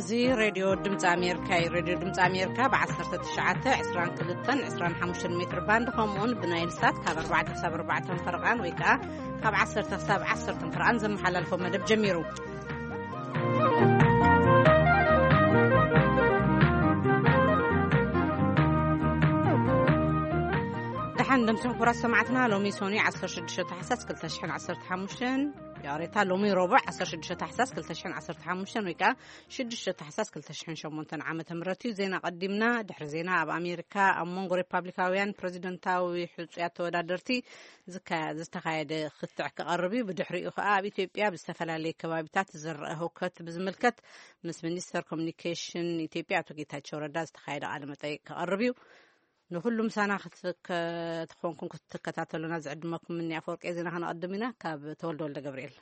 እዚ ሬድዮ ድምፂ ኣሜሪካ እዩ። ሬድዮ ድምፂ ኣሜሪካ ብ19፣ 22፣ 25 ሜትር ባንድ ከምኡውን ብናይል ሳት ካብ ኣርባዕተ ክሳብ ኣርባዕተ ፈረቓን ወይ ከዓ ካብ ዓሰርተ ክሳብ ዓሰርተ ፈረቓን ዘመሓላልፎ መደብ ጀሚሩ። ደሓን ደምስም ክቡራት ሰማዕትና፣ ሎሚ ሶኒ 16 ታሕሳስ 2015፣ ያሬታ ሎሚ ረቡዕ 16 ታሕሳስ 2015 ወይ ከዓ 6 ታሕሳስ 2008 ዓመተ ምህረት እዩ። ዜና ቀዲምና። ድሕሪ ዜና፣ ኣብ ኣሜሪካ ኣብ መንጎ ሪፓብሊካውያን ፕሬዚደንታዊ ሕጹያት ተወዳደርቲ ዝካ-፣ ዝተኻየደ ክትዕ ክቐርብ እዩ። ብድሕሪኡ ከኣ ኣብ ኢትዮጵያ ብዝተፈላለየ ከባቢታት ዝረአ ህውከት ብዝምልከት ምስ ሚኒስተር ኮሚኒኬሽን ኢትዮጵያ ኣቶ ጌታቸው ረዳ ዝተኻየደ ቃለ መጠይቅ ክቐርብ እዩ። ንኹሉ ምሳና ክትከ-፣ ትኾንኩም ክትከታተሉና ዝዕድመኩም ምኒ ኣፈወርቂ ዜና ከነቐድም ኢና። ካብ ተወልደ ወልደ ገብርኤል።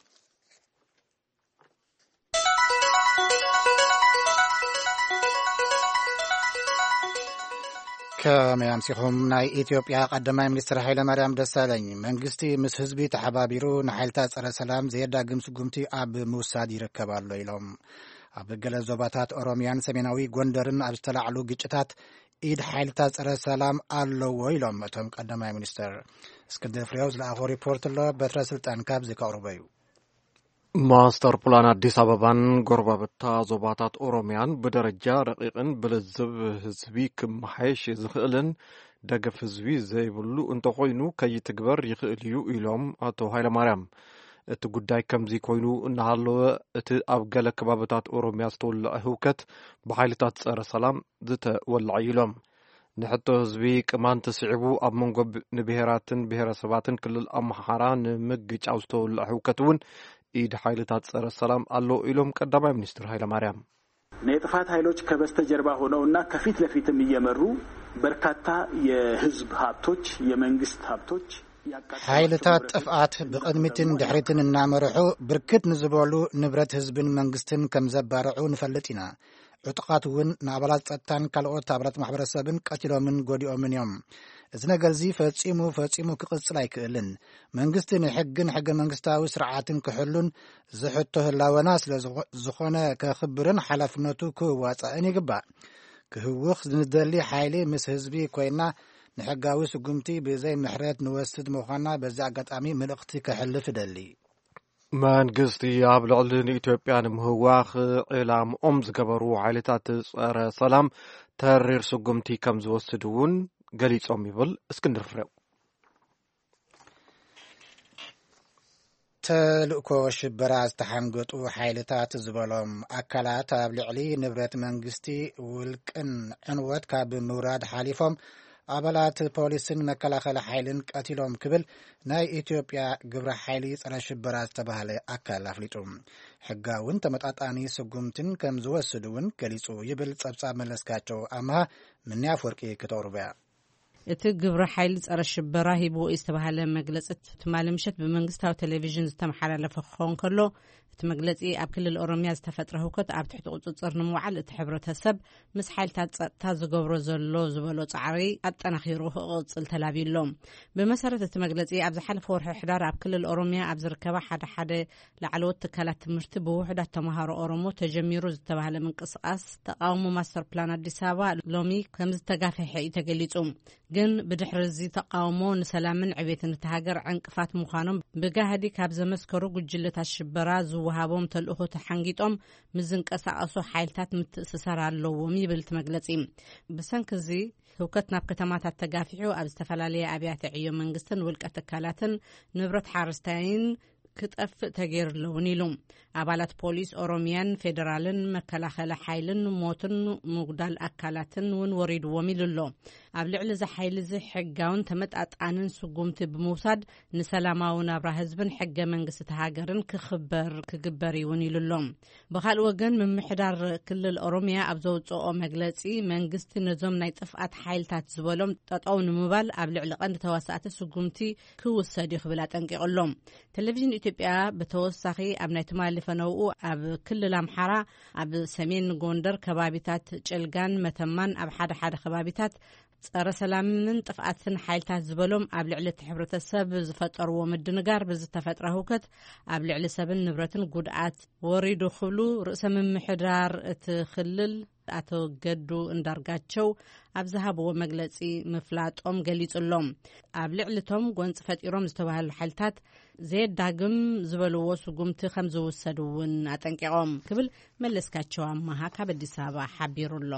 ከመይ ኣምሲኹም? ናይ ኢትዮጵያ ቀዳማይ ሚኒስትር ሃይለ ማርያም ደሳለኝ፣ መንግስቲ ምስ ህዝቢ ተሓባቢሩ ንሓይልታት ጸረ ሰላም ዘየዳግም ስጉምቲ ኣብ ምውሳድ ይርከብ ኣሎ ኢሎም። ኣብ ገለ ዞባታት ኦሮሚያን ሰሜናዊ ጎንደርን ኣብ ዝተላዕሉ ግጭታት ኢድ ሓይልታት ጸረ ሰላም ኣለዎ ኢሎም እቶም ቀዳማይ ሚኒስትር። እስክንድር ፍሬው ዝለኣኾ ሪፖርት ኣሎ፣ በትረ ስልጣን ካብዚ ከቕርቦ እዩ። ማስተር ፕላን ኣዲስ ኣበባን ጎረባብታ ዞባታት ኦሮሚያን ብደረጃ ረቂቕን ብልዝብ ህዝቢ ክመሓየሽ ዝኽእልን ደገፍ ህዝቢ ዘይብሉ እንተኾይኑ ከይትግበር ይኽእል እዩ ኢሎም ኣቶ ሃይለማርያም። እቲ ጉዳይ ከምዚ ኮይኑ እናሃለወ፣ እቲ ኣብ ገለ ከባብታት ኦሮሚያ ዝተወልዐ ህውከት ብሓይልታት ጸረ ሰላም ዝተወልዐ እዩ ኢሎም። ንሕቶ ህዝቢ ቅማንት ስዒቡ ኣብ መንጎ ብ-፣ ንብሄራትን ብሄረሰባትን ክልል ኣምሓራ ንምግጫው ዝተወልዐ ህውከት እውን ኢድ ሓይልታት ጸረ ሰላም ኣሎ ኢሎም ቀዳማይ ሚኒስትር ሃይለማርያም። የጥፋት ኃይሎች ከበስተጀርባ ሆነውና ከፊት ለፊትም እየመሩ በርካታ የህዝብ ሀብቶች፣ የመንግስት ሀብቶች ያቃጠሏቸው ሓይልታት ንብረቶች ጥፍኣት ብቕድሚትን ድሕሪትን እናመርሑ ብርክት ንዝበሉ ንብረት ህዝብን መንግስትን ከም ዘባርዑ ንፈልጥ ኢና። ዕጡቓት እውን ንኣባላት ጸጥታን ካልኦት ኣባላት ማሕበረሰብን ቀቲሎምን ጎዲኦምን እዮም። እዚ ነገር እዚ ፈጺሙ፣ ፈጺሙ ክቕጽል ኣይክእልን። መንግስቲ ንሕግን ሕገ መንግስታዊ ስርዓትን ክሕሉን ዝሕቶ ህላወና ስለ ዝኾ-፣ ዝኾነ ከኽብርን ሓላፍነቱ ክዋጻእን ይግባእ። ክህውኽ ንደሊ ሓይሊ ምስ ህዝቢ ኮይና ንሕጋዊ ስጉምቲ ብዘይ ምሕረት ንወስድ ምዃና በዚ ኣጋጣሚ መልእኽቲ ከሕልፍ እደሊ። መንግስቲ ኣብ ልዕሊ ንኢትዮጵያ ንምህዋኽ ዕላምኦም ዝገበሩ ሓይልታት ጸረ ሰላም ተሪር ስጉምቲ ከም ዝወስድ እውን ገሊጾም ይብል እስክንድር ፍሬው። ተልእኮ ሽበራ ዝተሓንገጡ ሓይልታት ዝበሎም ኣካላት ኣብ ልዕሊ ንብረት መንግስቲ ውልቅን ዕንወት ካብ ምውራድ ሓሊፎም ኣባላት ፖሊስን መከላኸሊ ሓይልን ቀቲሎም ክብል ናይ ኢትዮጵያ ግብረ ሓይሊ ጸረ ሽበራ ዝተባህለ ኣካል ኣፍሊጡ። ሕጋውን ተመጣጣኒ ስጉምትን ከም ዝወስድ እውን ገሊጹ ይብል ጸብጻብ መለስካቸው ኣምሃ። ምንያ ኣፍወርቂ ክተቕርቦ እያ። እቲ ግብረ ሓይሊ ጸረ ሽበራ ሂብዎ ዝተባህለ መግለጺ ትማሊ ምሸት ብመንግስታዊ ቴሌቪዥን ዝተመሓላለፈ ክኸውን ከሎ፣ እቲ መግለጺ ኣብ ክልል ኦሮሚያ ዝተፈጥረ ህውከት ኣብ ትሕቲ ቁጽጽር ንምውዓል እቲ ሕብረተሰብ ምስ ሓይልታት ጸጥታ ዝገብሮ ዘሎ ዝበሎ ጻዕሪ ኣጠናኺሩ ክቕጽል ተላብዩ ኣሎ። ብመሰረት እቲ መግለጺ፣ ኣብ ዝሓለፈ ወርሒ ሕዳር ኣብ ክልል ኦሮሚያ ኣብ ዝርከባ ሓደ ሓደ ላዕለዎት ትካላት ትምህርቲ ብውሑዳት ተምሃሮ ኦሮሞ ተጀሚሩ ዝተባህለ ምንቅስቓስ ተቃውሞ ማስተር ፕላን ኣዲስ ኣበባ ሎሚ ከም ዝተጋፈሐ እዩ ተገሊጹ። ግን ብድሕሪ እዚ ተቃውሞ ንሰላምን ዕቤትን እታ ሃገር ዕንቅፋት ምዃኖም ብጋህዲ ካብ ዘመስከሩ ጉጅለታት ሽበራ ዝወሃቦም ተልእኾ ተሓንጊጦም ምስ ዝንቀሳቐሱ ሓይልታት ምትእስሳር ኣለዎም ይብል እቲ መግለጺ። ብሰንኪ እዚ ህውከት ናብ ከተማታት ተጋፊሑ ኣብ ዝተፈላለየ ኣብያተ ዕዮ መንግስትን ውልቀ ትካላትን ንብረት ሓረስታይን ክጠፍእ ተገይሩ ኣለውን ኢሉ። ኣባላት ፖሊስ ኦሮሚያን ፌደራልን መከላኸሊ ሓይልን ሞትን ምጉዳል ኣካላትን እውን ወሪድዎም ኢሉ ኣሎ። ኣብ ልዕሊ እዚ ሓይሊ እዚ ሕጋውን ተመጣጣንን ስጉምቲ ብምውሳድ ንሰላማዊ ናብራ ህዝብን ሕገ መንግስቲ እታ ሃገርን ክኽበር ክግበር እዩ እውን ኢሉ ኣሎ። ብኻልእ ወገን ምምሕዳር ክልል ኦሮሚያ ኣብ ዘውፅኦ መግለፂ መንግስቲ ነዞም ናይ ጥፍኣት ሓይልታት ዝበሎም ጠጠው ንምባል ኣብ ልዕሊ ቀንዲ ተዋሳእቲ ስጉምቲ ክውሰድ እዩ ክብል ኣጠንቂቑ ኣሎ። ቴሌቪዥን ኢትዮጵያ ብተወሳኺ ኣብ ናይ ትማሊ ፈነውኡ ኣብ ክልል ኣምሓራ ኣብ ሰሜን ጎንደር ከባቢታት ጭልጋን መተማን ኣብ ሓደ ሓደ ከባቢታት ጸረ ሰላምን ጥፍኣትን ሓይልታት ዝበሎም ኣብ ልዕሊ እቲ ሕብረተሰብ ዝፈጠርዎ ምድንጋር ብዝተፈጥረ ህውከት ኣብ ልዕሊ ሰብን ንብረትን ጉድኣት ወሪዱ ክብሉ ርእሰ ምምሕዳር እቲ ክልል ኣቶ ገዱ እንዳርጋቸው ኣብ ዝሃብዎ መግለጺ ምፍላጦም ገሊጹ ኣሎ። ኣብ ልዕሊ እቶም ጎንጺ ፈጢሮም ዝተባህሉ ሓይልታት ዘየዳግም ዝበልዎ ስጉምቲ ከም ዝውሰድ እውን ኣጠንቂቖም ክብል መለስካቸው ኣማሃ ካብ ኣዲስ ኣበባ ሓቢሩ ኣሎ።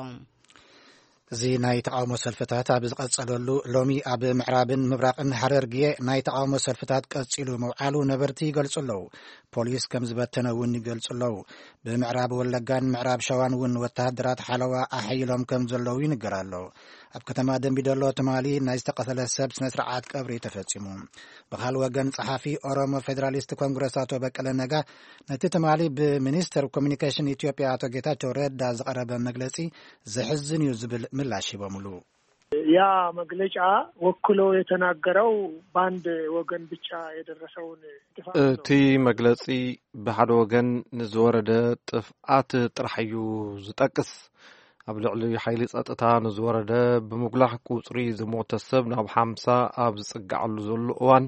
እዚ ናይ ተቃውሞ ሰልፍታት ኣብ ዝቐጸለሉ፣ ሎሚ ኣብ ምዕራብን ምብራቕን ሃረርጌ ናይ ተቃውሞ ሰልፍታት ቀጺሉ ምውዓሉ ነበርቲ ይገልጹ ኣለዉ። ፖሊስ ከም ዝበተነ እውን ይገልጹ ኣለዉ። ብምዕራብ ወለጋን ምዕራብ ሸዋን እውን ወተሃደራት ሓለዋ ኣሐይሎም ከም ዘለዉ ይንገር ኣሎ። ኣብ ከተማ ደምቢዶሎ ትማሊ ናይ ዝተቐተለ ሰብ ስነ ስርዓት ቀብሪ ተፈጺሙ። ብኻል ወገን ጸሓፊ ኦሮሞ ፌዴራሊስት ኮንግረስ ኣቶ በቀለ ነጋ ነቲ ትማሊ ብሚኒስትር ኮሚኒኬሽን ኢትዮጵያ ኣቶ ጌታቸው ረዳ ዝቐረበ መግለጺ ዘሕዝን እዩ ዝብል ምላሽ ሂቦምሉ። ያ መግለጫ ወክሎ የተናገረው በአንድ ወገን ብቻ የደረሰውን ጥፋት ነው። እቲ መግለጺ ብሓደ ወገን ንዝወረደ ጥፍኣት ጥራሕ እዩ ዝጠቅስ። ኣብ ልዕሊ ሓይሊ ጸጥታ ንዝወረደ ብምጉላሕ ቁጽሪ ዝሞተ ሰብ ናብ ሓምሳ ኣብ ዝጽጋዓሉ ዘሎ እዋን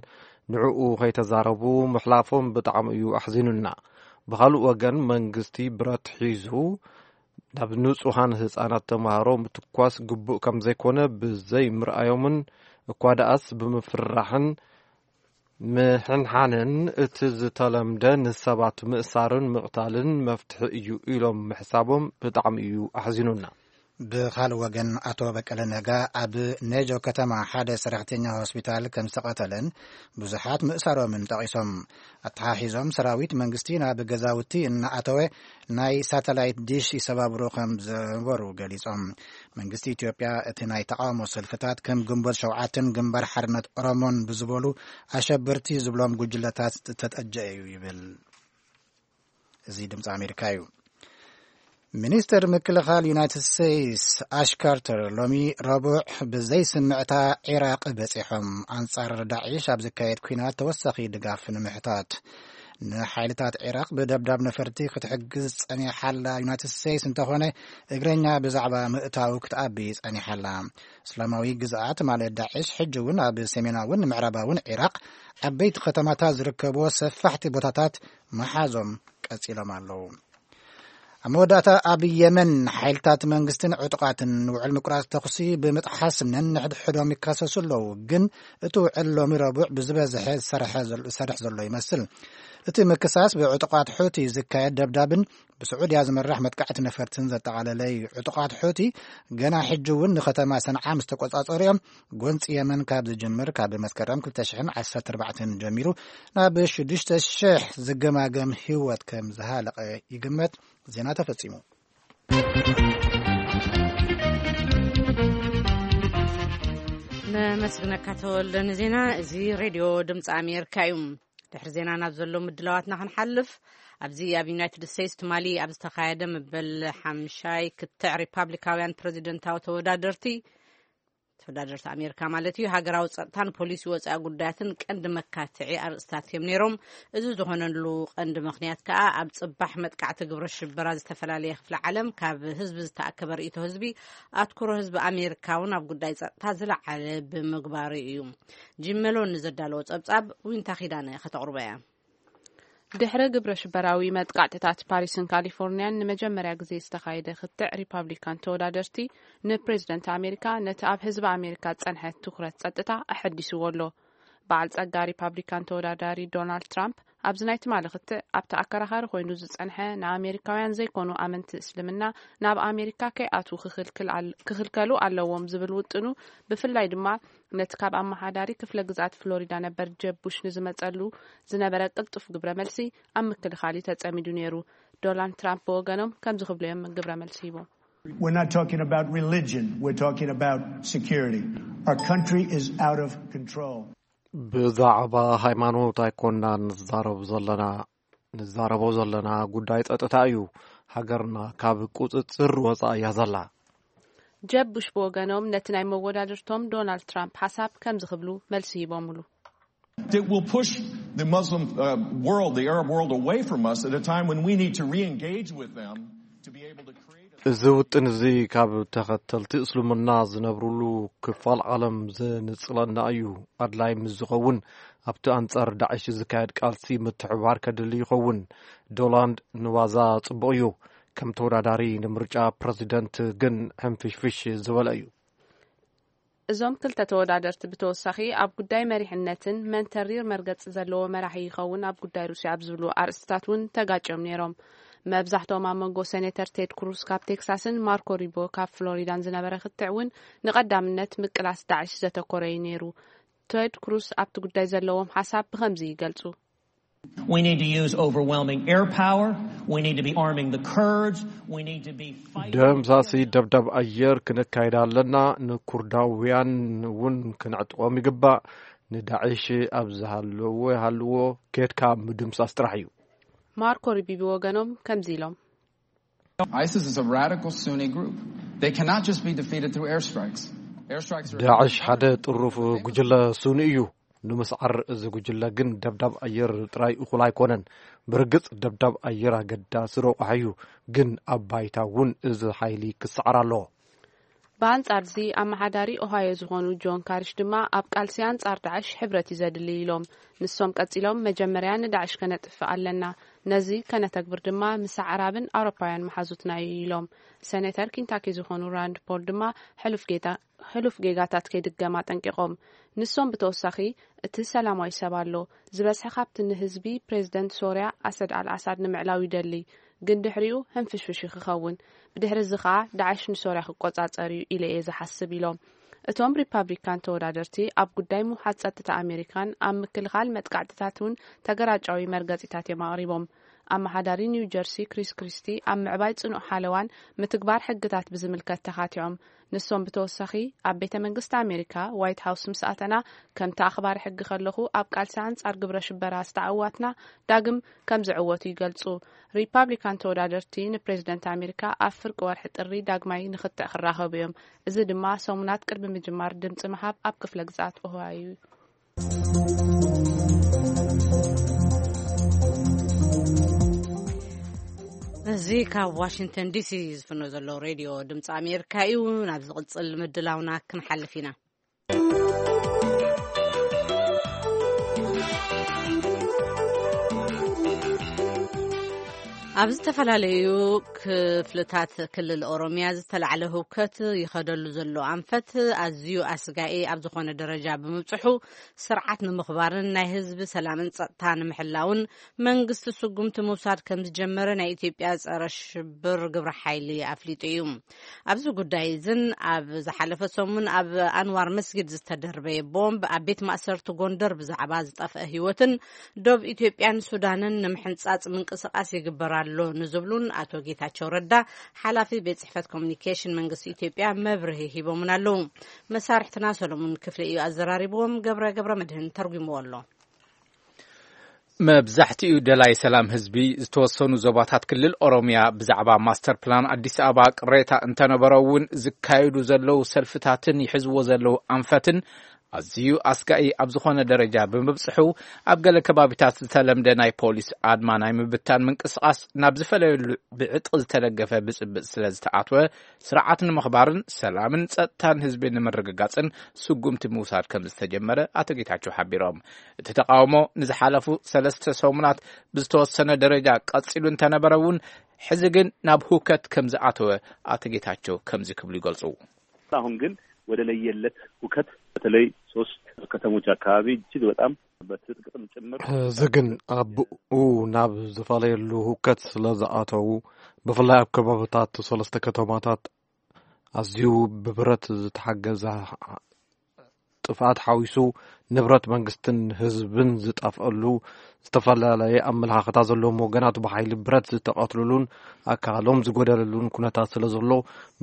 ንዕኡ ከይተዛረቡ ምሕላፎም ብጣዕሚ እዩ ኣሕዚኑና። ብኻልእ ወገን መንግስቲ ብረት ሒዙ ናብ ንጹሃን ህጻናት ተማሃሮ ምትኳስ ግቡእ ከም ዘይኮነ ብዘይ ምርኣዮምን እኳ ደኣስ ብምፍርራሕን ምሕንሓንን እቲ ዝተለምደ ንሰባት ምእሳርን ምቕታልን መፍትሒ እዩ ኢሎም ምሕሳቦም ብጣዕሚ እዩ ኣሕዚኑና። ብኻልእ ወገን ኣቶ በቀለ ነጋ ኣብ ኔጆ ከተማ ሓደ ሰራሕተኛ ሆስፒታል ከም ዝተቐተለን ብዙሓት ምእሳሮምን ጠቒሶም፣ ኣተሓሒዞም ሰራዊት መንግስቲ ናብ ገዛውቲ እናኣተወ ናይ ሳተላይት ዲሽ ይሰባብሩ ከም ዝነበሩ ገሊጾም። መንግስቲ ኢትዮጵያ እቲ ናይ ተቃውሞ ሰልፍታት ከም ግንቦት ሸውዓተን ግንባር ሓርነት ኦሮሞን ብዝበሉ ኣሸበርቲ ዝብሎም ጉጅለታት ዝተጠጀ እዩ ይብል። እዚ ድምፂ ኣሜሪካ እዩ። ሚኒስትር ምክልኻል ዩናይትድ ስቴትስ ኣሽ ካርተር ሎሚ ረቡዕ ብዘይስምዕታ ዒራቕ በፂሖም፣ ኣንጻር ዳዒሽ ኣብ ዝካየድ ኲናት ተወሳኺ ድጋፍ ንምሕታት። ንሓይልታት ዒራቕ ብደብዳብ ነፈርቲ ክትሕግዝ ጸኒሓላ ዩናይትድ ስቴትስ እንተኾነ፣ እግረኛ ብዛዕባ ምእታው ክትኣቢ ጸኒሓላ። እስላማዊ ግዝኣት ማለት ዳዒሽ ሕጂ እውን ኣብ ሰሜናውን ምዕራባውን ዒራቕ ዓበይቲ ከተማታት ዝርከብዎ ሰፋሕቲ ቦታታት መሓዞም ቀጺሎም ኣለዉ። ኣብ መወዳእታ ኣብ የመን ሓይልታት መንግስትን ዕጡቓትን ውዕል ምቁራጽ ተኹሲ ብምጥሓስ ነንሕድሕዶም ይካሰሱ ኣለዉ። ግን እቲ ውዕል ሎሚ ረቡዕ ብዝበዝሐ ዝሰርሐ ዘሎ- ዝሰርሕ ዘሎ ይመስል። እቲ ምክሳስ ብዕጡቓት ሑቲ ዝካየድ ደብዳብን ብስዑድያ ዝምራሕ መጥቃዕቲ ነፈርትን ዘጠቓለለ እዩ። ዕጡቓት ሑቲ ገና ሕጂ እውን ንከተማ ሰንዓ ምስ ተቆጻጸሩ እዮም። ጎንፂ የመን ካብ ዝጅምር ካብ መስከረም ክልተ ሽሕን ዓሰርተ ኣርባዕተን ጀሚሩ ናብ ሽዱሽተ ሽሕ ዝገማገም ህይወት ከም ዝሃለቐ ይግመት። ዜና ተፈጺሙ። ነመስግነካ ተወልደ ንዜና። እዚ ሬድዮ ድምፂ ኣሜሪካ እዩ። ድሕሪ ዜና ናብ ዘሎ ምድላዋትና ክንሓልፍ፣ ኣብዚ ኣብ ዩናይትድ ስቴትስ ትማሊ ኣብ ዝተኻየደ መበል ሓምሻይ ክትዕ ሪፓብሊካውያን ፕሬዚደንታዊ ተወዳደርቲ ተወዳደርቲ ኣሜሪካ ማለት እዩ፣ ሃገራዊ ጸጥታን ፖሊሲ ወጻኢ ጉዳያትን ቀንዲ መካትዒ ኣርእስታት እዮም ነይሮም። እዚ ዝኾነሉ ቀንዲ ምኽንያት ከኣ ኣብ ጽባሕ መጥቃዕቲ ግብረ ሽበራ ዝተፈላለየ ክፍለ ዓለም ካብ ህዝቢ ዝተኣከበ ርእይቶ ህዝቢ ኣትኩሮ ህዝቢ ኣሜሪካ እውን ኣብ ጉዳይ ጸጥታ ዝለዓለ ብምግባሩ እዩ። ጂም መሎን ንዘዳለዎ ጸብጻብ ዊንታ ኪዳነ ከተቕርቦ እያ። ድሕሪ ግብረ ሽበራዊ መጥቃዕትታት ፓሪስን ካሊፎርኒያን ንመጀመርያ ግዜ ዝተኻየደ ክትዕ ሪፓብሊካን ተወዳደርቲ ንፕሬዝደንት ኣሜሪካ ነቲ ኣብ ህዝቢ ኣሜሪካ ዝጸንሐ ትኩረት ጸጥታ ኣሐዲስዎ ኣሎ። በዓል ጸጋ ሪፓብሊካን ተወዳዳሪ ዶናልድ ትራምፕ ኣብዚ ናይ ትማሊ ክትዕ ኣብቲ ኣከራኻሪ ኮይኑ ዝጸንሐ ንኣሜሪካውያን ዘይኮኑ ኣመንቲ እስልምና ናብ ኣሜሪካ ከይኣትዉ ክኽልክል ኣል- ክኽልከሉ ኣለዎም ዝብል ውጥኑ ብፍላይ ድማ ነቲ ካብ ኣመሓዳሪ ክፍለ ግዝኣት ፍሎሪዳ ነበር ጀብ ቡሽ ንዝመጸሉ ዝነበረ ቅልጡፍ ግብረ መልሲ ኣብ ምክልኻል እዩ ተጸሚዱ ነይሩ። ዶናልድ ትራምፕ ብወገኖም ከምዚ ክብሉ እዮም ግብረ መልሲ ሂቦም። We're not talking about religion. We're talking about security. Our country is out of control. ብዛዕባ ሃይማኖት ኣይኮንና ንዛረብ ዘለና ንዛረቦ ዘለና ጉዳይ ጸጥታ እዩ። ሃገርና ካብ ቁጽጽር ወጻኢ እያ ዘላ። ጀብ ቡሽ ብወገኖም ነቲ ናይ መወዳድርቶም ዶናልድ ትራምፕ ሓሳብ ከምዚ ክብሉ መልሲ ሂቦምሉ። That will push the Muslim uh, world, the Arab world, away from us at a time when we need to re engage with them to be able to create a እዚ ውጥን እዚ ካብ ተኸተልቲ እስልምና ዝነብሩሉ ክፋል ዓለም ዘንጽለና እዩ። ኣድላይ ምስ ዝኸውን ኣብቲ ኣንጻር ዳዕሽ ዝካየድ ቃልሲ ምትሕብባር ከድሊ ይኸውን። ዶላንድ ንዋዛ ጽቡቕ እዩ፣ ከም ተወዳዳሪ ንምርጫ ፕረዚደንት ግን ሕንፍሽፍሽ ዝበለ እዩ። እዞም ክልተ ተወዳደርቲ ብተወሳኺ ኣብ ጉዳይ መሪሕነትን መን ተሪር መርገጺ ዘለዎ መራሒ ይኸውን ኣብ ጉዳይ ሩስያ ኣብ ዝብሉ ኣርእስትታት እውን ተጋጭዮም ነይሮም። መብዛሕትኦም ኣብ መንጎ ሴኔተር ቴድ ክሩስ ካብ ቴክሳስን ማርኮ ሩቢዮ ካብ ፍሎሪዳን ዝነበረ ክትዕ እውን ንቐዳምነት ምቅላስ ዳዕሽ ዘተኮረ እዩ ነይሩ። ቴድ ክሩስ ኣብቲ ጉዳይ ዘለዎም ሓሳብ ብኸምዚ ይገልጹ። We need to use overwhelming air power. We need to be arming the Kurds. We need to be fighting. ደምሳሲ ደብዳብ ኣየር ክንካይድ ኣለና። ንኩርዳውያን እውን ክንዕጥቖም ይግባእ። ንዳዕሽ ኣብ ዝሃለዎ ይሃልዎ፣ ኬድካ ምድምሳስ ጥራሕ እዩ። ማርኮ ሩቢዮ ብወገኖም ከምዚ ኢሎም። ISIS is a radical Sunni group. They cannot just be defeated through airstrikes. Airstrikes are ዳዕሽ ሓደ ጥሩፍ ጉጅለ ሱኒ እዩ። ንምስዓር እዚ ጉጅለ ግን ደብዳብ ኣየር ጥራይ እኹል ኣይኮነን። ብርግጽ ደብዳብ ኣየር ኣገዳሲ ረቑሓ እዩ፣ ግን ኣብ ባይታ እውን እዚ ሓይሊ ክሰዓር ኣለዎ። ብኣንጻር እዚ ኣመሓዳሪ ኦሃዮ ዝኾኑ ጆን ካሪሽ ድማ ኣብ ቃልሲ ኣንጻር ዳዕሽ ሕብረት እዩ ዘድሊ ኢሎም። ንሶም ቀጺሎም መጀመርያ ንዳዕሽ ከነጥፍእ ኣለና፣ ነዚ ከነተግብር ድማ ምስ ኣዕራብን ኣውሮፓውያን መሓዙትና እዩ ኢሎም። ሰኔተር ኪንታኪ ዝኾኑ ራንድ ፖል ድማ ሕሉፍ ጌታ ሕሉፍ ጌጋታት ከይድገም ኣጠንቂቖም። ንሶም ብተወሳኺ እቲ ሰላማዊ ሰብ ኣሎ፣ ዝበዝሐ ካብቲ ንህዝቢ ፕሬዝደንት ሶርያ ኣሰድ ኣልኣሳድ ንምዕላው ይደሊ፣ ግን ድሕሪኡ ህንፍሽፍሽ እዩ ክኸውን። ብድሕሪ እዚ ኸኣ ዳዕሽ ንሶርያ ክቆጻጸር እዩ ኢለ እየ ዝሓስብ ኢሎም። እቶም ሪፓብሊካን ተወዳደርቲ ኣብ ጉዳይ ምውሓድ ጸጥታ ኣሜሪካን ኣብ ምክልኻል መጥቃዕትታት እውን ተገራጫዊ መርገጺታት እዮም ኣቕሪቦም። ኣመሓዳሪ ኒው ጀርሲ ክሪስ ክሪስቲ ኣብ ምዕባይ ጽኑዕ ሓለዋን ምትግባር ሕግታት ብዝምልከት ተኻቲዖም። ንሶም ብተወሳኺ ኣብ ቤተ መንግስቲ ኣሜሪካ ዋይት ሃውስ ምስ ኣተና ከምቲ ኣኽባሪ ሕጊ ከለኹ ኣብ ቃልሲ ኣንጻር ግብረ ሽበራ ዝተዓዋትና ዳግም ከም ዝዕወቱ ይገልጹ። ሪፓብሊካን ተወዳደርቲ ንፕሬዝደንት ኣሜሪካ ኣብ ፍርቂ ወርሒ ጥሪ ዳግማይ ንክትዕ ክራኸቡ እዮም። እዚ ድማ ሰሙናት ቅድሚ ምጅማር ድምፂ ምሃብ ኣብ ክፍለ ግዝኣት ኦሃዮ እዩ። እዚ ካብ ዋሽንግተን ዲሲ ዝፍኖ ዘሎ ሬድዮ ድምፂ ኣሜሪካ እዩ። ናብ ዝቕፅል ምድላውና ክንሓልፍ ኢና። ኣብ ዝተፈላለዩ ክፍልታት ክልል ኦሮምያ ዝተላዕለ ህውከት ይኸደሉ ዘሎ ኣንፈት ኣዝዩ ኣስጋኢ ኣብ ዝኾነ ደረጃ ብምብፅሑ፣ ስርዓት ንምኽባርን ናይ ህዝቢ ሰላምን ጸጥታ ንምሕላውን መንግስቲ ስጉምቲ ምውሳድ ከም ዝጀመረ ናይ ኢትዮጵያ ጸረ ሽብር ግብረ ሓይሊ ኣፍሊጡ እዩ። ኣብዚ ጉዳይ እዝን ኣብ ዝሓለፈ ሰሙን ኣብ ኣንዋር መስጊድ ዝተደርበየ ቦምብ ኣብ ቤት ማእሰርቲ ጎንደር ብዛዕባ ዝጠፍአ ህይወትን ዶብ ኢትዮጵያን ሱዳንን ንምሕንጻጽ ምንቅስቃስ ይግበር ኣሎ ንዝብሉን ኣቶ ጌታቸው ረዳ ሓላፊ ቤት ጽሕፈት ኮሚኒኬሽን መንግስቲ ኢትዮጵያ መብርሂ ሂቦምን ኣለዉ። መሳርሕትና ሰሎሙን ክፍለ እዩ ኣዘራሪብዎም። ገብረ ገብረ መድህን ተርጉምዎ ኣሎ። መብዛሕትኡ ደላይ ሰላም ህዝቢ ዝተወሰኑ ዞባታት ክልል ኦሮምያ ብዛዕባ ማስተር ፕላን ኣዲስ ኣበባ ቅሬታ እንተነበሮ እውን ዝካየዱ ዘለዉ ሰልፍታትን ይሕዝዎ ዘለዉ ኣንፈትን ኣዝዩ ኣስጋኢ ኣብ ዝኾነ ደረጃ ብምብጽሑ ኣብ ገለ ከባቢታት ዝተለምደ ናይ ፖሊስ ኣድማ ናይ ምብታን ምንቅስቓስ ናብ ዝፈለየሉ ብዕጥቂ ዝተደገፈ ብጽብጽ ስለ ዝተኣትወ ስርዓት ንምኽባርን ሰላምን ጸጥታን ህዝቢ ንምርግጋጽን ስጉምቲ ምውሳድ ከም ዝተጀመረ ኣቶ ጌታቸው ሓቢሮም። እቲ ተቃውሞ ንዝሓለፉ ሰለስተ ሰሙናት ብዝተወሰነ ደረጃ ቀጺሉ እንተነበረ እውን ሕዚ ግን ናብ ሁከት ከም ዝኣተወ ኣቶ ጌታቸው ከምዚ ክብሉ ይገልጹ። አሁን ግን ወደ ለየለት ሁከት በተለይ ሶስት ከተሞች አካባቢ እጅግ በጣም በትጥቅም ጭምር እዚ ግን ኣብኡ ናብ ዝፈላለየሉ ሁከት ስለ ዝኣተዉ ብፍላይ ኣብ ከባብታት ሰለስተ ከተማታት ኣዝዩ ብብረት ዝተሓገዘ ጥፍኣት ሓዊሱ ንብረት መንግስትን ህዝብን ዝጠፍኣሉ ዝተፈላለየ ኣመለኻኽታ ዘለዎም ወገናት ብሓይሊ ብረት ዝተቐትሉሉን ኣካሎም ዝጎደለሉን ኩነታት ስለ ዘሎ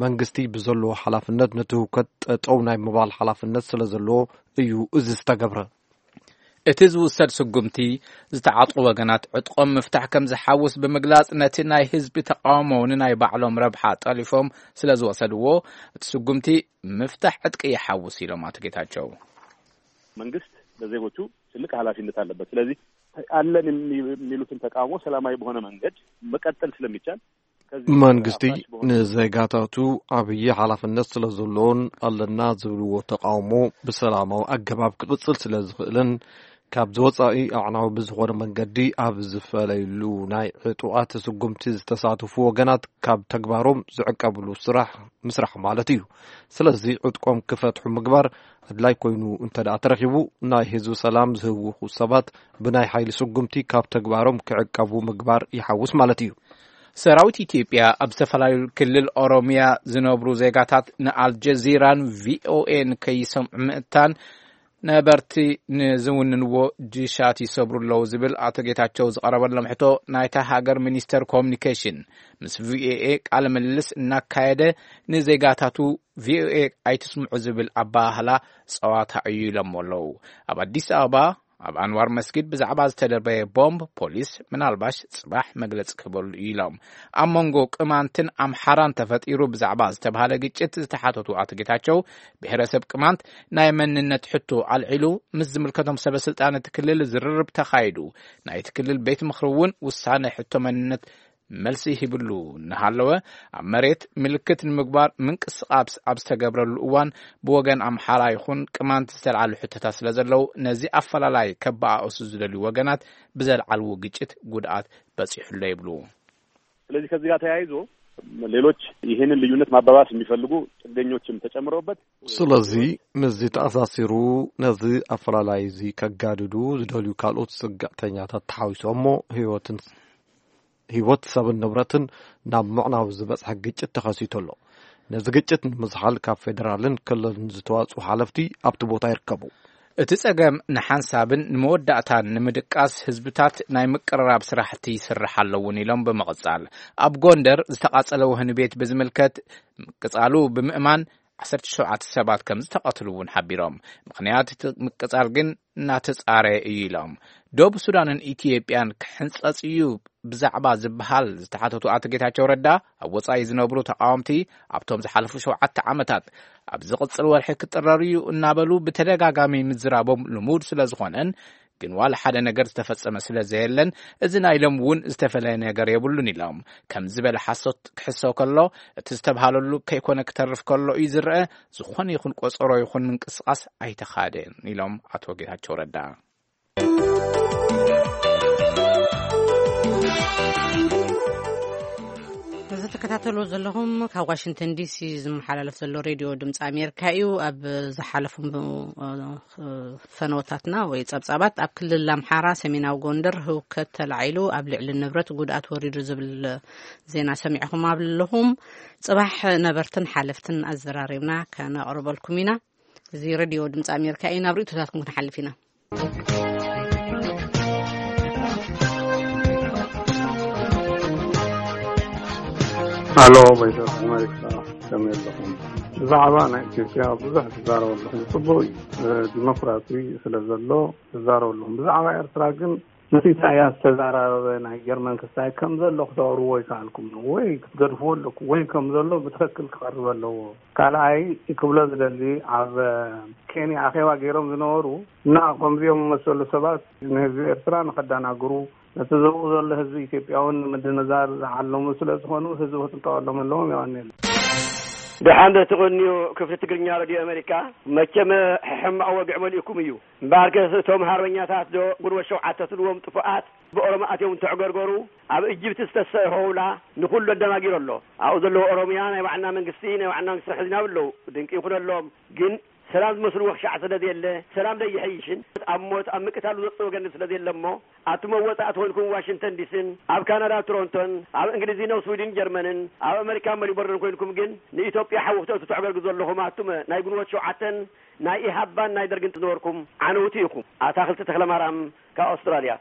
መንግስቲ ብዘለዎ ሓላፍነት ነቲ ህውከት ጠጠው ናይ ምባል ሓላፍነት ስለ ዘለዎ እዩ እዚ ዝተገብረ። እቲ ዝውሰድ ስጉምቲ ዝተዓጥቑ ወገናት ዕጥቆም ምፍታሕ ከም ዝሓውስ ብምግላጽ ነቲ ናይ ህዝቢ ተቃውሞ ንናይ ባዕሎም ረብሓ ጠሊፎም ስለ ዝወሰድዎ እቲ ስጉምቲ ምፍታሕ ዕጥቂ ይሓውስ ኢሎም ኣቶ ጌታቸው። መንግስት ለዜጎቹ ትልቅ ኃላፊነት አለበት። ስለዚህ አለን የሚሉትን ተቃውሞ ሰላማዊ በሆነ መንገድ መቀጠል ስለሚቻል መንግስቲ ንዜጋታቱ ዓብዪ ሓላፍነት ስለ ዘለዎን ኣለና ዝብልዎ ተቃውሞ ብሰላማዊ ኣገባብ ክቕጽል ስለ ዝኽእልን ካብ ዝወጻኢ ኣዕናዊ ብዝኾነ መንገዲ ኣብ ዝፈለይሉ ናይ ዕጡቓት ስጉምቲ ዝተሳተፉ ወገናት ካብ ተግባሮም ዝዕቀብሉ ስራሕ ምስራሕ ማለት እዩ። ስለዚ ዕጥቆም ክፈትሑ ምግባር ኣድላይ ኮይኑ እንተ ደኣ ተረኺቡ፣ ናይ ህዝቢ ሰላም ዝህውኹ ሰባት ብናይ ሓይሊ ስጉምቲ ካብ ተግባሮም ክዕቀቡ ምግባር ይሓውስ ማለት እዩ። ሰራዊት ኢትዮጵያ ኣብ ዝተፈላለዩ ክልል ኦሮሚያ ዝነብሩ ዜጋታት ንኣልጀዚራን ቪኦኤን ከይሰምዑ ምእንታን ነበርቲ ንዝውንንዎ ጅሻት ይሰብሩ ኣለዉ ዝብል ኣቶ ጌታቸው ዝቐረበሎም ሕቶ ናይታ ሃገር ሚኒስተር ኮሙኒኬሽን ምስ ቪኦኤ ቃለ ምልልስ እናካየደ ንዜጋታቱ ቪኦኤ ኣይትስምዑ ዝብል ኣባሃህላ ጸዋታ እዩ ኢሎሞ ኣለዉ። ኣብ ኣዲስ ኣበባ ኣብ ኣንዋር መስጊድ ብዛዕባ ዝተደርበየ ቦምብ ፖሊስ ምናልባሽ ጽባሕ መግለጺ ክህበሉ እዩ ኢሎም። ኣብ መንጎ ቅማንትን ኣምሓራን ተፈጢሩ ብዛዕባ ዝተባህለ ግጭት ዝተሓተቱ ኣቶ ጌታቸው ብሔረሰብ ቅማንት ናይ መንነት ሕቶ ኣልዒሉ ምስ ዝምልከቶም ሰበ ስልጣን እቲ ክልል ዝርርብ ተኻይዱ ናይቲ ክልል ቤት ምኽሪ እውን ውሳነ ሕቶ መንነት መልሲ ሂብሉ እናሃለወ ኣብ መሬት ምልክት ንምግባር ምንቅስቃስ ኣብ ዝተገብረሉ እዋን ብወገን ኣምሓራ ይኹን ቅማንት ዝተልዓሉ ሕቶታት ስለ ዘለዉ ነዚ ኣፈላላይ ከባኣእሱ ዝደልዩ ወገናት ብዘልዓልዎ ግጭት ጉድኣት በፂሑሎ ይብሉ። ስለዚህ ከዚህ ጋር ተያይዞ ሌሎች ይህንን ልዩነት ማባባስ የሚፈልጉ ጥገኞችም ተጨምረውበት ስለዚ ምስዚ ተኣሳሲሩ ነዚ ኣፈላላይ እዚ ከጋድዱ ዝደልዩ ካልኦት ስግዕተኛታት ተሓዊሶም እሞ ህይወትን ህይወት ሰብን ንብረትን ናብ ምዕናው ዝበፅሐ ግጭት ተኸሲቱ ኣሎ። ነዚ ግጭት ንምዝሓል ካብ ፌደራልን ክልልን ዝተዋፅኡ ሓለፍቲ ኣብቲ ቦታ ይርከቡ። እቲ ጸገም ንሓንሳብን ንመወዳእታን ንምድቃስ ህዝብታት ናይ ምቅርራብ ስራሕቲ ይስራሕ ኣሎ እውን ኢሎም ብምቕጻል ኣብ ጎንደር ዝተቓጸለ ወህኒ ቤት ብዝምልከት ምቅጻሉ ብምእማን ዓሰርተ ሸውዓተ ሰባት ከም ዝተቐትሉ እውን ሓቢሮም። ምኽንያት እቲ ምቅጻል ግን እናተጻረ እዩ ኢሎም። ደቡብ ሱዳንን ኢትዮጵያን ክሕንጸጽ እዩ ብዛዕባ ዝበሃል ዝተሓተቱ ኣቶ ጌታቸው ረዳ ኣብ ወጻኢ ዝነብሩ ተቃወምቲ ኣብቶም ዝሓለፉ ሸውዓተ ዓመታት ኣብ ዝቕጽል ወርሒ ክጥረር እዩ እናበሉ ብተደጋጋሚ ምዝራቦም ልሙድ ስለ ዝኾነን ግን ዋላ ሓደ ነገር ዝተፈጸመ ስለ ዘየለን እዚ ናይ ሎም እውን ዝተፈለየ ነገር የብሉን ኢሎም። ከም ዝበለ ሓሶት ክሕሰው ከሎ እቲ ዝተብሃለሉ ከይኮነ ክተርፍ ከሎ እዩ ዝረአ። ዝኾነ ይኹን ቆጸሮ ይኹን ምንቅስቃስ ኣይተኻደን ኢሎም ኣቶ ጌታቸው ረዳ። እዚ ትከታተልዎ ዘለኹም ካብ ዋሽንግተን ዲሲ ዝመሓላለፍ ዘሎ ሬድዮ ድምፂ ኣሜሪካ እዩ። ኣብ ዝሓለፉ ፈነወታትና ወይ ፀብፃባት ኣብ ክልል ኣምሓራ ሰሜናዊ ጎንደር ህውከት ተላዒሉ ኣብ ልዕሊ ንብረት ጉድኣት ወሪዱ ዝብል ዜና ሰሚዕኹም ኣለኹም። ፅባሕ ነበርትን ሓለፍትን ኣዘራሪብና ከነቕርበልኩም ኢና። እዚ ሬድዮ ድምፂ ኣሜሪካ እዩ። ናብ ርእቶታትኩም ክንሓልፍ ኢና። ኣሎ ወይዘሮ ኣሜሪካ ከመይ ኣለኹም? ብዛዕባ ናይ ኢትዮጵያ ብዙሕ ትዛረቡ ኣለኹም። ጽቡቕ እዩ፣ ዲሞክራሲ ስለ ዘሎ ትዛረቡ ኣለኹም። ብዛዕባ ኤርትራ ግን ምስ ኢሳያስ ዝተዛራረበ ናይ ጀርመን ክስታይ ከም ዘሎ ክተቕርብዎ ይከኣልኩም ነው ወይ ክትገድፍዎ ኣለኩም ወይ ከም ዘሎ ብትኽክል ክቐርብ ኣለዎ። ካልኣይ ክብሎ ዝደሊ ኣብ ኬንያ ኣኼባ ገይሮም ዝነበሩ እና ከምዚኦም መሰሉ ሰባት ንህዝቢ ኤርትራ ንኸዳናግሩ ነቲ ዘብኡ ዘሎ ህዝቢ ኢትዮጵያ እውን ንምድንዛር ዝዓለሙ ስለ ዝኾኑ ህዝቢ ክጥንቀቐሎም ኣለዎም። የቐንየለይ። ደሓን ዶ ትቕንዩ ክፍሊ ትግርኛ ሬድዮ ኣሜሪካ? መቸም ሕማቕ ወግዒ መሊእኩም እዩ። እምበኣርከስ እቶም ሃርበኛታት ዶ ግንቦት ሸውዓተ ትብልዎም ጥፉኣት ብኦሮሞ ኣትዮም እንተዕገርገሩ ኣብ እጅብቲ ዝተሰ ሆውላ ንኹሉ ኣደናጊሩ ኣሎ። ኣብኡ ዘለዉ ኦሮምያ ናይ ባዕልና መንግስቲ ናይ ባዕልና መንግስቲ ንሕዝ ኢና ብለዉ ድንቂ ይኹነሎም። ግን ሰላም ዝመስልዎ ክሻዕ ስለ ዘየለ ሰላም ደይሐይሽን ኣብ ሞት ኣብ ምቅታሉ ዘጽእ ወገን ስለ ዘየለ እሞ ኣቱም ኣብ ወጻኢ ተኾይንኩም ዋሽንግተን ዲስን ኣብ ካናዳ ቶሮንቶን ኣብ እንግሊዝን ኣብ ስዊድን ጀርመንን ኣብ ኣመሪካ መሊቦርንን ኮይንኩም ግን ንኢትዮጵያ ሓዊ ክተእቱ ተዕገርግዙ ዘለኹም ኣቱም ናይ ግንቦት ሸውዓተን ናይ ኢሃባን ናይ ደርግን ዝነበርኩም ዓነውቲ ኢኹም። ኣታኽልቲ ተኽለማርያም ካብ ኣውስትራልያ።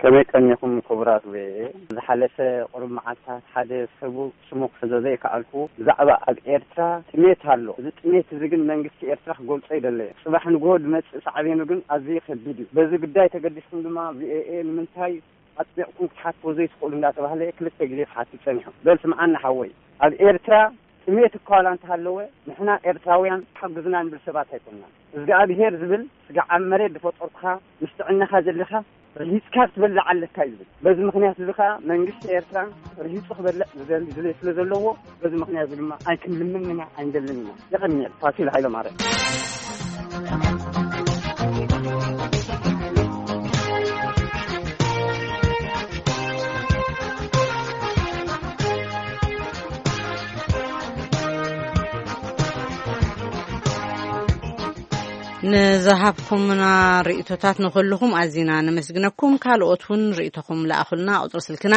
ከመይ ቀኒኹም ክቡራት ቪኦኤ? ዝሓለፈ ቁሩብ መዓልታት ሓደ ሰቡ ስሙ ክሕዞ ዘይከኣልኩ ብዛዕባ ኣብ ኤርትራ ጥሜት ኣሎ። እዚ ጥሜት እዚ ግን መንግስቲ ኤርትራ ክገልጾ ኣይደለየ። ጽባሕ ንግሆ ዝመጽእ ሳዕቤኑ ግን ኣዝዩ ከቢድ እዩ። በዚ ጉዳይ ተገዲስኩም ድማ ቪኦኤ ንምንታይ ኣጥቢቕኩም ክትሓትዎ ዘይትኽእሉ እንዳተባህለ ክልተ ግዜ ክሓትት ጸኒሑ። በል ስምዓኒ ሓወይ፣ ኣብ ኤርትራ ጥሜት እኳ ዋላ እንተሃለወ ንሕና ኤርትራውያን ሓግዙና ንብል ሰባት ኣይኮንናን። እዝግኣብሄር ዝብል ስጋዕ ኣብ መሬት ዝፈጠርኩኻ ምስ ጥዕናኻ ዘለኻ ርሂጽካ ክትበልዕ ኣለካ እዩ ዝብል። በዚ ምኽንያት እዚ ከኣ መንግስቲ ኤርትራ ርሂጹ ክበልዕ ዝደሊ ድሌት ስለ ዘለዎ፣ በዚ ምኽንያት እዚ ድማ ኣይክንልምን ኢና፣ ኣይንደልን ኢና። የቐንየል። ፋሲል ሃይለማርያም። ንዝሃብኩምና ርእይቶታት ንኹልኹም ኣዚና ነመስግነኩም። ካልኦት እውን ርእይቶኹም ለኣኹልና። ቁጽሪ ስልክና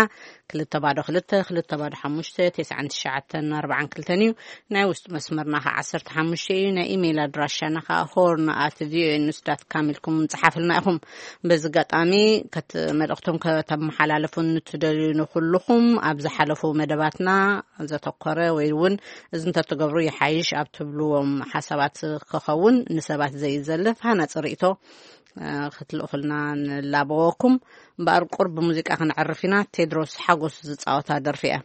ክልተ ባዶ ክልተ፣ ክልተ ባዶ ሓሙሽተ፣ ተስዓን ትሽዓተን ኣርባዓን ክልተን እዩ። ናይ ውሽጢ መስመርና ኸዓ ዓሰርተ ሓሙሽተ እዩ። ናይ ኢሜይል ኣድራሻና ኸዓ ሆርን ኣት ቪኦኤ ኒውስ ዳት ካም ኢልኩም ጽሓፍልና ኢኹም። በዚ ኣጋጣሚ ከት-፣ መልእኽቶም ከተመሓላልፉ ንትደልዩ ንኹልኹም ኣብ ዝሓለፉ መደባትና ዘተኮረ ወይ እውን እዚ እንተትገብሩ ይሓይሽ ኣብ ትብልዎም ሓሳባት ክኸውን ንሰባት ዘዩ ዘልፍ ሃናጺ ርእይቶ፣ እ፣ ክትልእኹልና ንላበወኩም። እምበኣር ቁርብ ብሙዚቃ ክንዕርፍ ኢና። ቴድሮስ ሓጎስ ዝጻወታ ደርፊ እያ።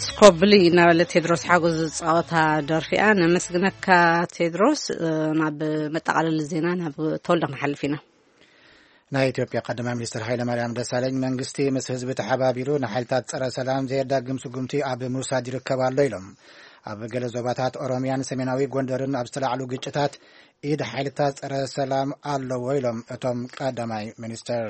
ስኮብሊ እናበለ ቴድሮስ ሓጎስ ዝፃወታ ደርፊ እያ። ነመስግነካ ቴድሮስ። ናብ መጠቓለሊ ዜና ናብ ተወልደ ክንሓልፍ ኢና። ናይ ኢትዮጵያ ቀዳማይ ሚኒስትር ሃይለማርያም ደሳለኝ መንግስቲ ምስ ህዝቢ ተሓባቢሩ ንሓይልታት ጸረ ሰላም ዘየዳግም ስጉምቲ ኣብ ምውሳድ ይርከብ ኣሎ ኢሎም። ኣብ ገለ ዞባታት ኦሮሚያን ሰሜናዊ ጎንደርን ኣብ ዝተላዕሉ ግጭታት ኢድ ሓይልታት ጸረ ሰላም ኣለዎ ኢሎም እቶም ቀዳማይ ሚኒስትር።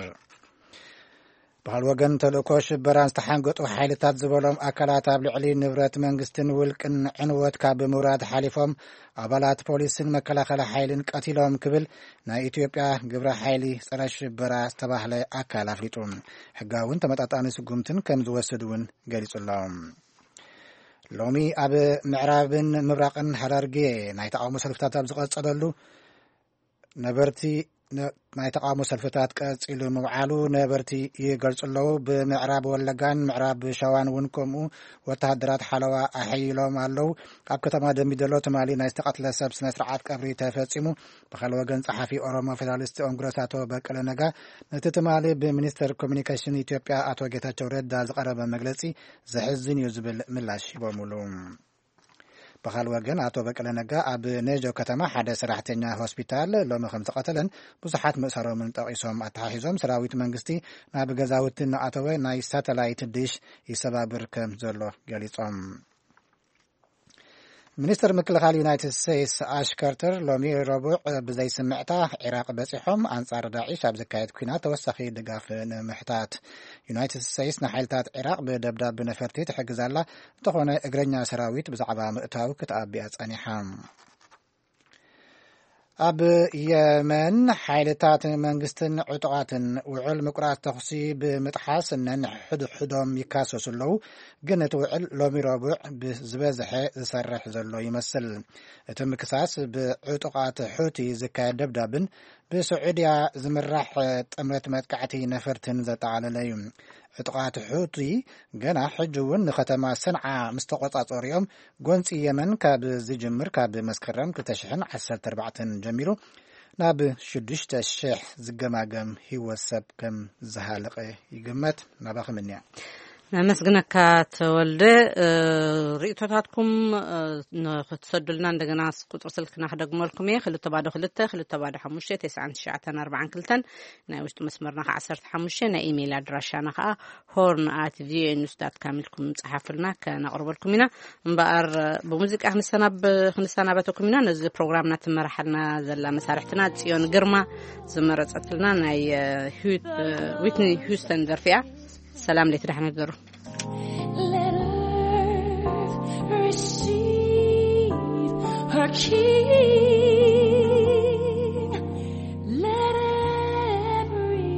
ብኻል ወገን ተልእኮ ሽበራን ዝተሓንገጡ ሓይልታት ዝበሎም ኣካላት ኣብ ልዕሊ ንብረት መንግስትን ውልቅን ዕንወት ካብ ምውራድ ሓሊፎም ኣባላት ፖሊስን መከላኸሊ ሓይልን ቀቲሎም ክብል ናይ ኢትዮጵያ ግብረ ሓይሊ ጸረ ሽበራ ዝተባህለ ኣካል ኣፍሊጡ። ሕጋውን ተመጣጣኒ ስጉምትን ከም ዝወስድ እውን ገሊጹ ኣሎ። ሎሚ ኣብ ምዕራብን ምብራቕን ሃራርጌ ናይ ተቃውሞ ሰልፍታት ኣብ ዝቐጸለሉ ነበርቲ ናይ ተቃውሞ ሰልፍታት ቀጺሉ ምውዓሉ ነበርቲ ይገልጹ ኣለዉ። ብምዕራብ ወለጋን ምዕራብ ሸዋን እውን ከምኡ ወተሃደራት ሓለዋ ኣሐይሎም ኣለዉ። ኣብ ከተማ ደምቢዶሎ ትማሊ ናይ ዝተቐትለ ሰብ ስነ ስርዓት ቀብሪ ተፈጺሙ። ብኻል ወገን ጸሓፊ ኦሮሞ ፌደራሊስት ኮንግረስ ኣቶ በቀለ ነጋ ነቲ ትማሊ ብሚኒስተር ኮሚኒኬሽን ኢትዮጵያ ኣቶ ጌታቸው ረዳ ዝቐረበ መግለጺ ዘሕዝን እዩ ዝብል ምላሽ ሂቦምሉ። ብኻል ወገን ኣቶ በቀለ ነጋ ኣብ ነጆ ከተማ ሓደ ሰራሕተኛ ሆስፒታል ሎሚ ከም ዝቐተለን ብዙሓት ምእሰሮምን ጠቒሶም ኣተሓሒዞም ሰራዊት መንግስቲ ናብ ገዛውቲ እናኣተወ ናይ ሳተላይት ድሽ ይሰባብር ከም ዘሎ ገሊጾም። ሚኒስትር ምክልኻል ዩናይትድ ስቴትስ ኣሽ ከርተር ሎሚ ረቡዕ ብዘይስምዕታ ዒራቕ በጺሖም ኣንጻር ዳዒሽ ኣብ ዝካየድ ኲናት ተወሳኺ ድጋፍ ንምሕታት። ዩናይትድ ስቴትስ ንሓይልታት ዒራቕ ብደብዳብ ነፈርቲ ትሕግዝ ኣላ፣ እንተኾነ እግረኛ ሰራዊት ብዛዕባ ምእታው ክትኣቢያ ጸኒሓ። ኣብ የመን ሓይልታት መንግስትን ዕጡቓትን ውዕል ምቁራጽ ተኹሲ ብምጥሓስ ነንሕድሕዶም ይካሰሱ ኣለዉ። ግን እቲ ውዕል ሎሚ ረቡዕ ብዝበዝሐ ዝሰርሕ ዘሎ ይመስል። እቲ ምክሳስ ብዕጡቓት ሑቲ ዝካየድ ደብዳብን ብስዑድያ ዝምራሕ ጥምረት መጥቃዕቲ ነፈርትን ዘጠቓለለ እዩ። ዕጡቓት ሑቲ ገና ሕጂ እውን ንከተማ ሰንዓ ምስ ተቖጻጸሩ እዮም። ጎንጺ የመን ካብ ዝጅምር ካብ መስከረም ክልተ ሽሕን ዓሰርተ ኣርባዕተን ጀሚሩ ናብ ሽዱሽተ ሽሕ ዝገማገም ህይወት ሰብ ከም ዝሃለቐ ይግመት። ናባኹም እንያ። ነመስግነካ ተወልደ። እ፣ ርእቶታትኩም፣ እ፣ ንክትሰዱልና እንደገና ቁጽሪ ስልክና ክደግመልኩም እየ። ክልተ ባዶ ክልተ፣ ክልተ ባዶ ሓሙሽተ፣ ተስዓን ትሽዓተን ኣርባዓን ክልተን፣ ናይ ውሽጢ መስመርና ከዓ ዓሰርተ ሓሙሽተ፣ ናይ ኢሜይል ኣድራሻና ከዓ ሆርን ኣት ቪኦኤ ኒውስ ዳት ካም ኢልኩም ጸሓፉልና፣ ከነቕርበልኩም ኢና። እምበኣር ብሙዚቃ ክንሰናብ-፣ ክንሰናበተኩም ኢና። ነዚ ፕሮግራምና ትመርሓልና ዘላ መሳርሕትና ጽዮን ግርማ ዝመረጸትልና ናይ፣ እ፣ ሂው-፣ እ፣ ዊትኒ ሂውስተን ደርፊ እያ። ሰላም ለይቲ ደሕና ደሩ። Let earth receive her King. Let every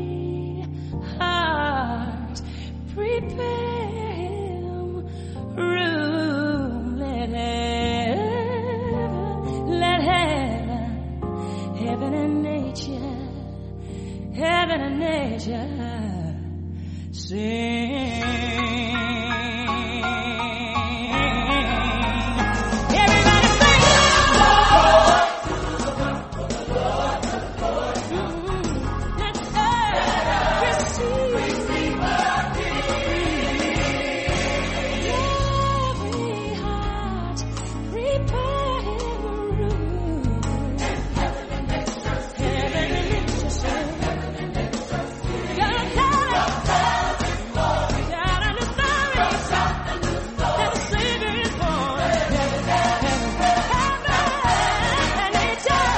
heart prepare him room. Let heaven, let heaven, heaven and nature, heaven and nature sing. Everybody sing. Let earth receive. Every heart prepare him room. Heaven and nature sing. God, God, God, and the Savior is born. Heaven, heaven, heaven, and nature.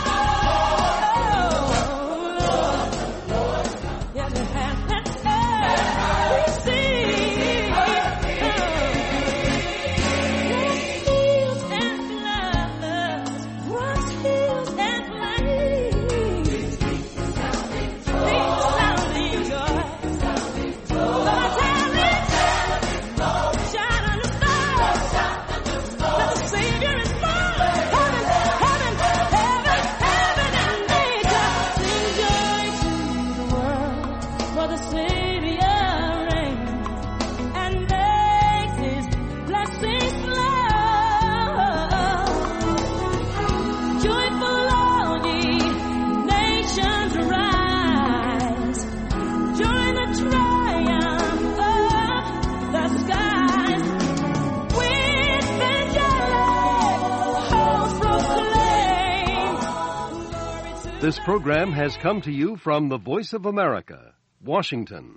Oh, Lord. Heaven, heaven, heaven, we sing. Heals and floods, once heals and floods. For the Savior reigns and makes his blessings flow. Joyful all ye nations rise. Join the triumph of the skies. With angelic hosts proclaim. This program has come to you from the Voice of America, Washington.